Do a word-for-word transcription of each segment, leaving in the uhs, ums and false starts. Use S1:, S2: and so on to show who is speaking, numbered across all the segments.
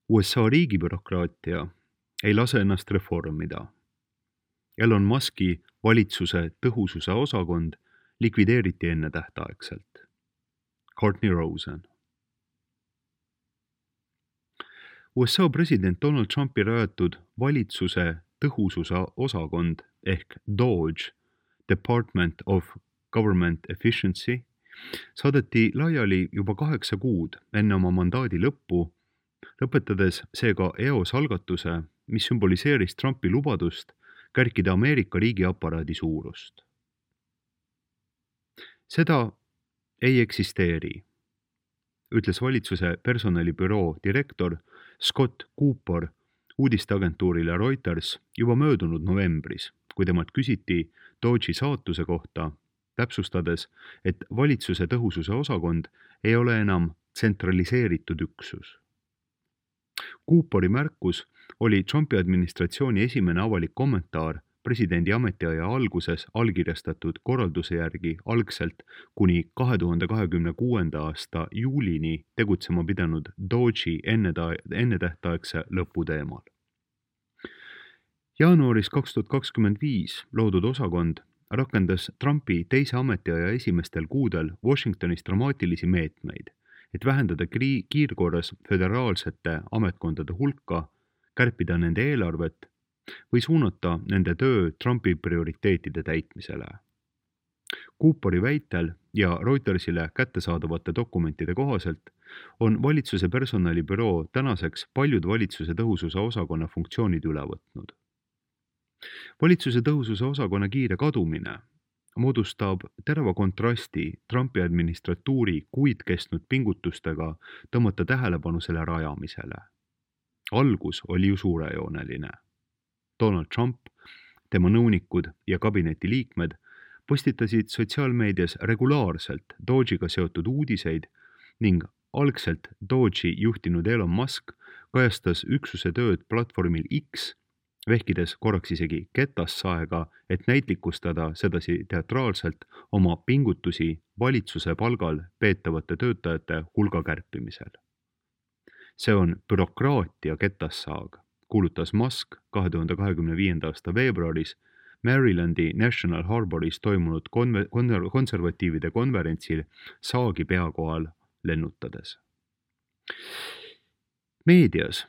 S1: U S A riigibürokraatia ei lase ennast reformida. Elon Muski valitsuse tõhususe osakond likvideeriti ennetähtaegselt. Courtney Rosen. U S A president Donald Trumpi rajatud valitsuse tõhususe osakond ehk DOGE, Department of Government Efficiency, saadeti laiali juba kaheksa kuud enne oma mandaadi lõppu, lõpetades seega eos algatuse, mis sümboliseeris Trumpi lubadust kärkida Ameerika riigiaparaadi suurust. Seda ei eksisteeri, ütles valitsuse personalibüroo direktor Scott Cooper uudisteagentuurile Reuters juba möödunud novembris, kui temalt küsiti Doge'i saatuse kohta, täpsustades, et valitsuse tõhususe osakond ei ole enam tsentraliseeritud üksus. Cooperi märkus oli Trumpi administratsiooni esimene avalik kommentaar presidendi ametiaja alguses allkirjastatud korralduse järgi algselt kuni kahe tuhande kahekümne kuuenda aasta juulini tegutsema pidanud Doge'i ennetähtaegse lõpu teemal. Jaanuaris kaks tuhat kakskümmend viis loodud osakond rakendas Trumpi teise ametiaja esimestel kuudel Washingtonis dramaatilisi meetmeid, et vähendada kiirkorras föderaalsete ametkondade hulka, kärpida nende eelarvet või suunata nende töö Trumpi prioriteetide täitmisele. Cooperi väitel ja Reutersile kättesaadavate dokumentide kohaselt on valitsuse personalibüroo tänaseks paljud valitsuse tõhususe osakonna funktsioonid üle võtnud. Valitsuse tõhususe osakonna kiire kadumine moodustab terava kontrasti Trumpi administratuuri kuid kestnud pingutustega tõmmata tähelepanu selle rajamisele. Algus oli ju suurejooneline. Donald Trump, tema nõunikud ja kabineti liikmed postitasid sotsiaalmeedias regulaarselt Doge'iga seotud uudiseid ning algselt Doge'i juhtinud Elon Musk kajastas üksuse tööd platvormil X, vehkides korraks isegi ketassaega, et näitlikustada sedasi teatraalselt oma pingutusi valitsuse palgal peetavate töötajate hulga kärpimisel. See on bürokraatia ketassaag, kuulutas Musk kahe tuhande kahekümne viienda aasta veebruaris Marylandi National Harboris toimunud konver- konservatiivide konverentsil saagi peakohal lennutades. Meedias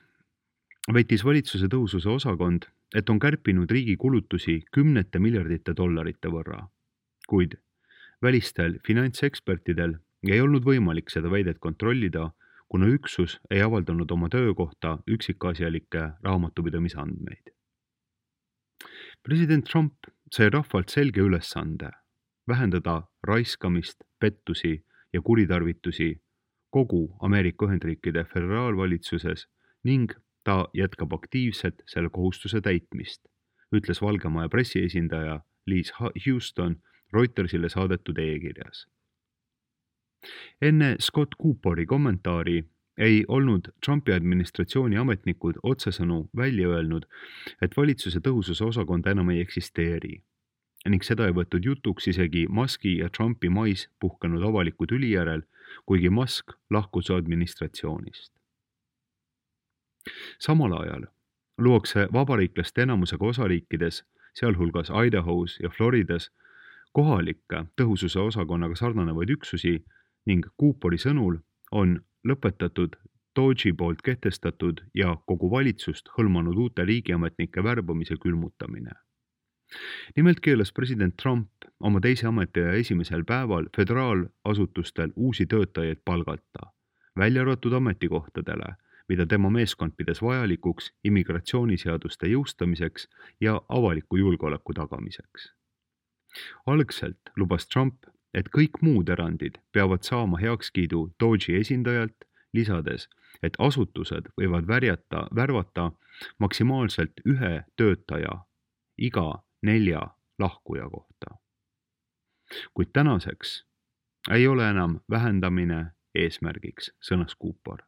S1: väitis valitsuse tõhususe osakond, et on kärpinud riigi kulutusi kümnete miljardite dollarite võrra, kuid välistel finantsekspertidel ei olnud võimalik seda väidet kontrollida, kuna üksus ei avaldanud oma töö kohta üksikasjalikke raamatupidamisandmeid. President Trump sai rahvalt selge ülesande vähendada raiskamist, pettusi ja kuritarvitusi kogu Ameerika Ühendriikide föderaalvalitsuses ning ta jätkab aktiivselt selle kohustuse täitmist, ütles Valge Maja pressiesindaja Liz Houston Reutersile saadetud e-kirjas. Enne Scott Cooperi kommentaari ei olnud Trumpi administratsiooni ametnikud otsesõnu välja öelnud, et valitsuse tõhususe osakond enam ei eksisteeri ning seda ei võtnud jutuks isegi Muski ja Trumpi mais puhkenud avaliku tüli järel, kuigi Musk lahkus administratsioonist. Samal ajal luuakse vabariiklaste enamusega osariikides, sealhulgas Idahos ja Floridas, kohalikke tõhususe osakonnaga sarnanevaid üksusi ning Cooperi sõnul on lõpetatud Doge'i poolt kehtestatud ja kogu valitsust hõlmanud uute riigiametnike värbamise külmutamine. Nimelt keelas president Trump oma teise ametiaja esimesel päeval föderaalasutustel uusi töötajaid palgata, välja arvatud ametikohtadele, mida tema meeskond pidas vajalikuks immigratsiooniseaduste jõustamiseks ja avaliku julgeoleku tagamiseks. Algselt lubas Trump, et kõik muud erandid peavad saama heakskiidu Doge'i esindajalt, lisades, et asutused võivad värjata, värvata maksimaalselt ühe töötaja iga nelja lahkuja kohta. Kuid tänaseks ei ole enam vähendamine eesmärgiks, sõnas Cooper.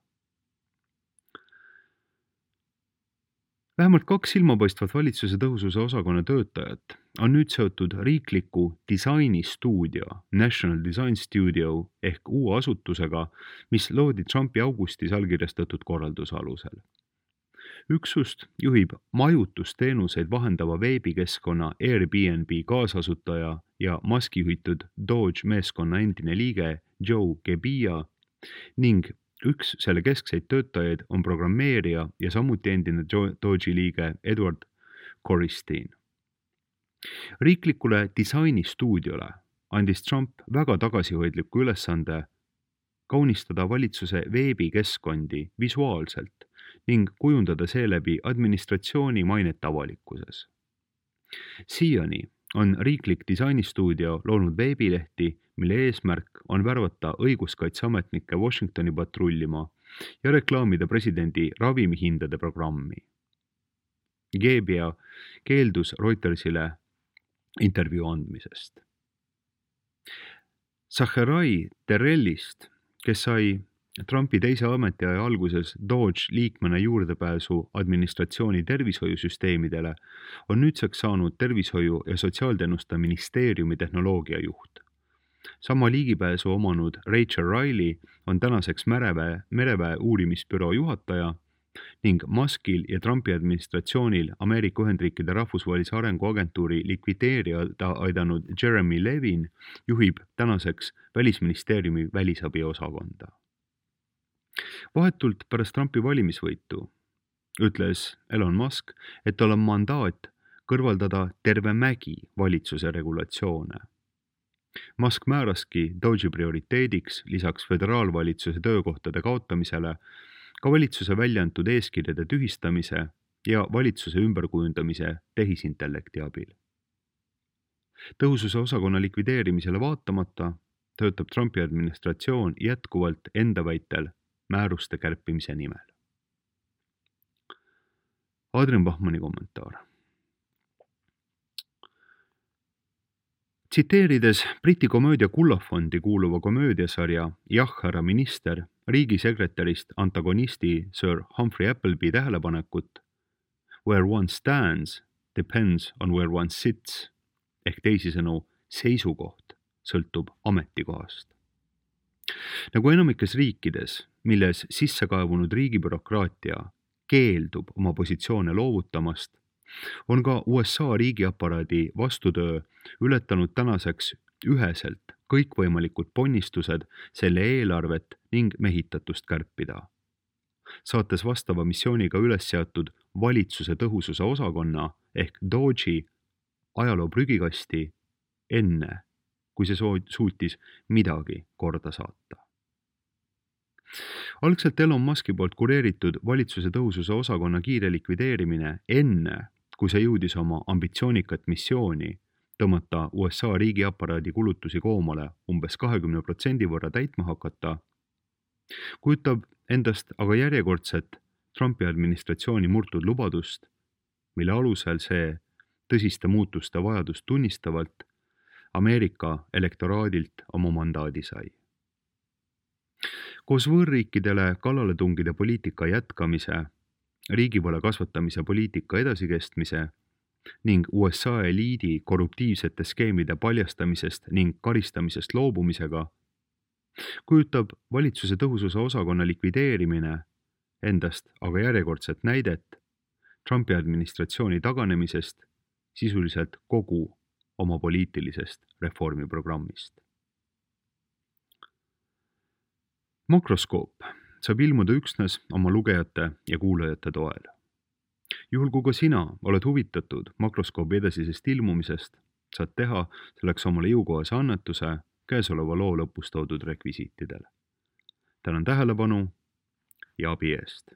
S1: Vähemalt kaks silmapaistvat valitsuse tõhususe osakonna töötajat on nüüd seotud riikliku disainistuudio, National Design Studio ehk uue asutusega, mis loodi Trumpi augustis allkirjastatud korralduse alusel. Üksust juhib majutusteenuseid vahendava veebikeskkonna Airbnb kaasasutaja ja Muski juhitud Doge meeskonna endine liige Joe Gebbia ning üks selle keskseid töötajaid on programmeerija ja samuti endine Doge'i liige Edward Corristeen. Riiklikule disainistuudiole andis Trump väga tagasihoidliku ülesande kaunistada valitsuse veebikeskkondi visuaalselt ning kujundada seeläbi administratsiooni mainet avalikkuses. Siiani on riiklik disainistuudio loonud veebilehti, mille eesmärk on värvata õiguskaitseametnikke Washingtoni patrullima ja reklaamida presidendi ravimihindade programmi. Gebbia keeldus Reutersile intervjuu andmisest. Zacherai Terrellist, kes sai Trumpi teise ametiaja alguses Doge liikmena juurdepääsu administratsiooni tervishoiusüsteemidele, on nüüdseks saanud tervishoiu- ja sotsiaalteenuste ministeeriumi tehnoloogiajuht. Sama liigipääsu omanud Rachel Riley on tänaseks mereväe, mereväe uurimisbüroo juhataja ning Muskil ja Trumpi administratsioonil Ameerika Ühendriikide rahvusvahelise arenguagentuuri likvideerida aidanud Jeremy Levin juhib tänaseks Välisministeeriumi välisabi osakonda. Vahetult pärast Trumpi valimisvõitu ütles Elon Musk, et tal on mandaat kõrvaldada terve mägi valitsuse regulatsioone. Musk määraski Doge'i prioriteediks lisaks föderaalvalitsuse töökohtade kaotamisele ka valitsuse välja antud eeskirjade tühistamise ja valitsuse ümberkujundamise tehisintellekti abil. Tõhususe osakonna likvideerimisele vaatamata töötab Trumpi administratsioon jätkuvalt enda väitel määruste kärpimise nimel. Adrian Bachmanni kommentaar. Tsiteerides Briti komöödia Kullafondi kuuluva komöödiasarja Jah, härra minister riigisekretärist antagonisti Sir Humphrey Appleby tähelepanekut Where one stands depends on where one sits ehk teisisõnu seisukoht sõltub ametikohast. Nagu enamikes riikides, milles sissekaevunud riigibürokraatia keeldub oma positsioone loovutamast, on ka U S A riigiaparaadi vastutöö ületanud tänaseks üheselt kõikvõimalikud ponnistused selle eelarvet ning mehitatust kärpida, saates vastava missiooniga üles seatud valitsuse tõhususe osakonna ehk Doge'i ajaloo prügikasti enne, kui see suutis midagi korda saata. Algselt Elon Muski poolt kureeritud valitsuse tõhususe osakonna kiire likvideerimine enne, kui see jõudis oma ambitsioonikat missiooni tõmmata U S A riigiaparaadi kulutusi koomale umbes kahekümne protsendi võrra täitma hakata, kujutab endast aga järjekordset Trumpi administratsiooni murtud lubadust, mille alusel see tõsiste muutuste vajadust tunnistavalt Ameerika elektoraadilt oma mandaadi sai. Koos võõrriikidele kallaletungide poliitika jätkamise, riigivõla kasvatamise poliitika edasikestmise ning U S A eliidi korruptiivsete skeemide paljastamisest ning karistamisest loobumisega, kujutab valitsuse tõhususe osakonna likvideerimine endast aga järjekordset näidet Trumpi administratsiooni taganemisest sisuliselt kogu oma poliitilisest reformiprogrammist. Makroskoop saab ilmuda üksnes oma lugejate ja kuulajate toel. Juhul kui ka sina oled huvitatud makroskoobi edasisest ilmumisest, saad teha selleks omale jõukohase annetuse käesoleva loo lõpus toodud rekvisiitidel. Tänan tähelepanu ja abi eest!